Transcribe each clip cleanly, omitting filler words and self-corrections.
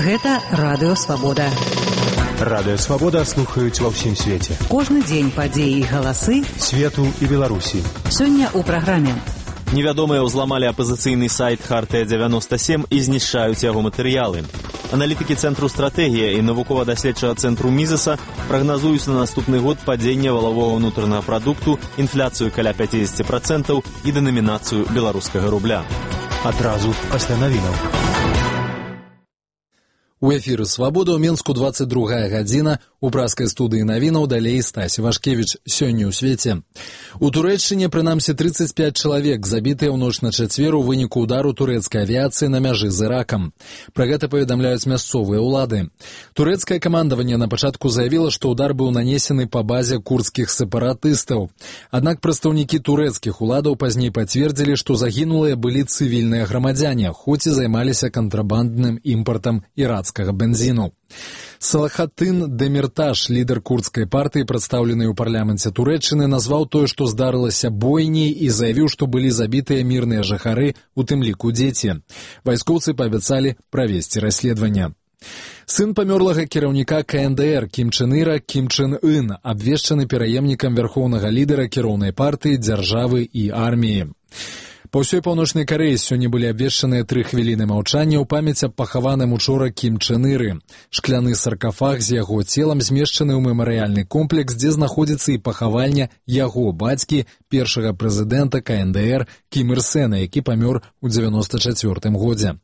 Гэта Радыё Свабода. Радыё Свабода слухаюць ва ўсім свеце. Кожны дзень падзеі і галасы свету і Беларусі. Сёння ў праграме. Невядомыя ўзламалі апазіцыйны сайт Хартыя-97 і знішчаюць яго матэрыялы. Аналітыкі Цэнтру стратэгія і навукова-даследчага цэнтру Мізеса прагназуюць на наступны год падзенне валавога ўнутранага прадукту, інфляцыю каля 50% і дэнамінацыю беларускага рубля. Адразу пасля навінаў. У эфіры «Свабода» ў Менску 22 гадзіна. У праскай студыі навінаў далей Стасі Вашкевіч. Сёння ў свеце. У Турэччыне, прынамсі, 35 чалавек забітыя ў ноч на чацвер у выніку удару турэцкай авіяцыі на мяжы з Іракам. Пра гэта паведамляюць мясцовыя ўлады. Турэцкае камандаванне на пачатку заявіла, што удар быў нанесены па базе курдскіх сепаратыстаў. Аднак прадстаўнікі турэцкіх уладаў пазней пацвердзілі, што загінулыя былі цывільныя грамадзяне, хоць і займаліся кантрабандным імпартам ірацкага бензіну. Салахатын Демирташ, лідар курдскай партыі, прадстаўлены ў парламенце Турэччыны, назваў тое, што здарылася бойняй, і заявіў, што былі забітыя мірныя жыхары, у тым ліку дзеці. Вайскоўцы паабяцалі правесці расследаванне. Сын памёрлага кіраўніка КНДР Кім Чен Іра, Кім Чен Ын, абвешчаны пераемнікам вярхоўнага лідара кіроўнай партыі, дзяржавы і арміі. Па ўсёй Паўночнай Карэі сёння былі абвешчаныя 3 хвіліны маўчання ў памяць аб пахаваным учора Кім Чен Іры. Шкляны саркафаг з яго целам змешчаны ў мемарыяльны комплекс, дзе знаходзіцца і пахавальня яго бацькі, першага прэзідэнта КНДР Кім Ір Сэна, які памёр у 94 годзе.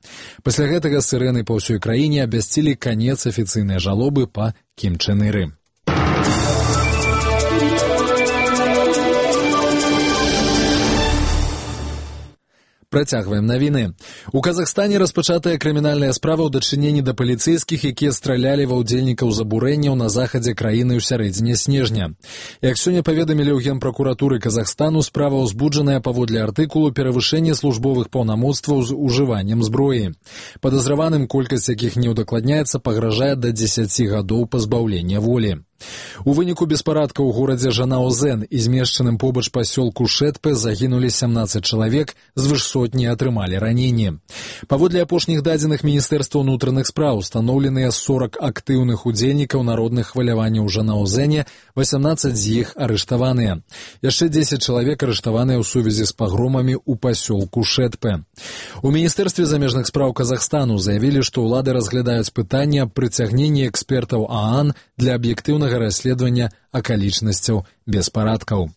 Пасля гэтага сырэны па ўсёй краіне абвясцілі канец афіцыйнай жалобы па Кім Чен Іры. Працягваем навіны. У Казахстане распачатая крымінальная справа ў дачыненні да паліцэйскіх, якія стралялі ва ўдзельнікаў забурэнняў на захадзе краіны ў сярэдзіне снежня. Як сёння паведамілі ў Генпракуратуры Казахстану, справа ўзбуджаная паводле артыкулу «Перавышэнне службовых паўнамоцтваў з ужываннем зброі». Падазраваным, колькасць якіх не ўдакладняецца, пагражае да 10 гадоў пазбаўлення волі. У выніку беспарадка ў горадзе Жанаозен і змешчаным побач пасёлку Шэтпе загінулі 17 чалавек, звыш сотні атрымалі раненні. Паводле апошніх дадзеных Міністэрства ўнутраных спраў устаноўленыя 40 актыўных удзельнікаў народных хваляванняў у Жанаозене, 18 з іх арыштаваныя. Яшчэ 10 чалавек арыштаваныя ў сувязі з пагромамі ў пасёлку Шэтпе. У Міністэрстве замежных спраў Казахстану заявілі, што ўлады разглядаюць пытанне аб прыцягненні экспертаў ААН для аб'ектыўнага расследавання акалічнасцяў беспарадкаў.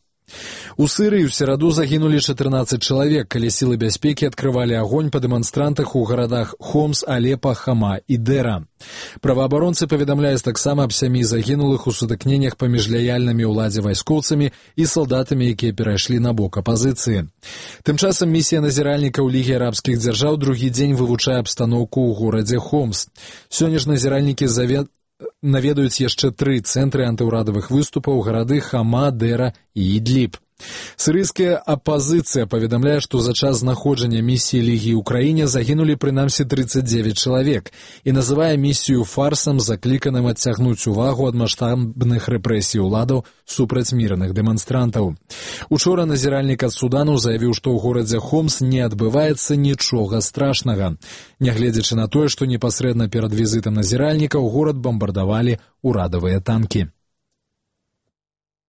У Сырыі ў сераду загінулі 14 чалавек, калі сілы бяспекі адкрывалі агонь па дэманстрантах у гарадах Хомс, Алепа, Хама і Дэра. Праваабаронцы паведамляюць таксама аб 7 загінулых у сутыкненнях паміж лаяльнымі ўладзе вайскоўцамі і салдатамі, якія перайшлі на бок апазіцыі. Тым часам місія назіральнікаў Лігі арабскіх дзяржаў другі дзень вывучае абстаноўку ў горадзе Хомс. Сёння ж назіральнікі наведаюць яшчэ 3 цэнтры антыўрадавых выступаў, гарады Хама, Дэра і Ідліб. Сырыйская апазіцыя паведамляе, што за час знаходжання місіі Лігі ў краіне загінулі прынамсі 39 чалавек і называе місію фарсам, закліканым адцягнуць увагу ад маштабных рэпрэсій уладаў супраць мірных дэманстрантаў. Учора назіральнік ад Судану заявіў, што ў горадзе Хомс не адбываецца нічога страшнага. Нягледзячы на тое, што непасрэдна перад візітам назіральніка ў горад бамбардавалі ўрадавыя танкі.